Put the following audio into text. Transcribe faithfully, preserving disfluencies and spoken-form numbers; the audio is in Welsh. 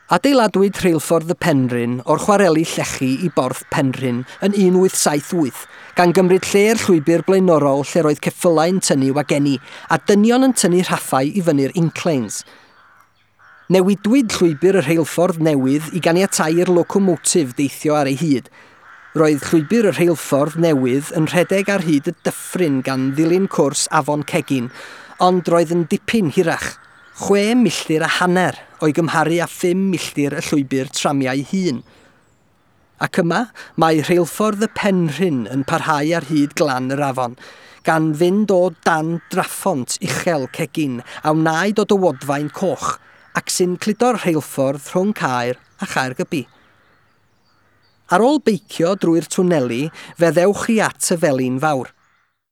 Adeiladwyd rheilffordd y Penrhyn o'r chwareli llechi i Borth Penrhyn yn un wyth saith wyth, gan gymryd lle'r llwybr blaenorol lle roedd ceffylau'n tynnu wageni a dynion yn tynnu rhaffau i fyny'r inclines. Newidwyd llwybr y rheilffordd newydd i ganiatáu i'r locomotif deithio ar ei hyd. Roedd llwybr y rheilffordd newydd yn rhedeg ar hyd y dyffryn gan ddilyn cwrs Afon Cegin, ond roedd yn dipyn hirach, chwe milltir a hanner o'i gymharu â phum milltir y llwybr tramiau hun. Ac yma, mae rheilffordd y Penrhyn yn parhau ar hyd glan yr afon, gan fynd o dan draphont uchel Cegin a wnaed o dywodfaen coch, ac sy'n cludo'r rheilffordd rhwng Caer a Chaergybi. Ar ôl beicio drwy'r twneli, fe ddewch chi at y Felin Fawr.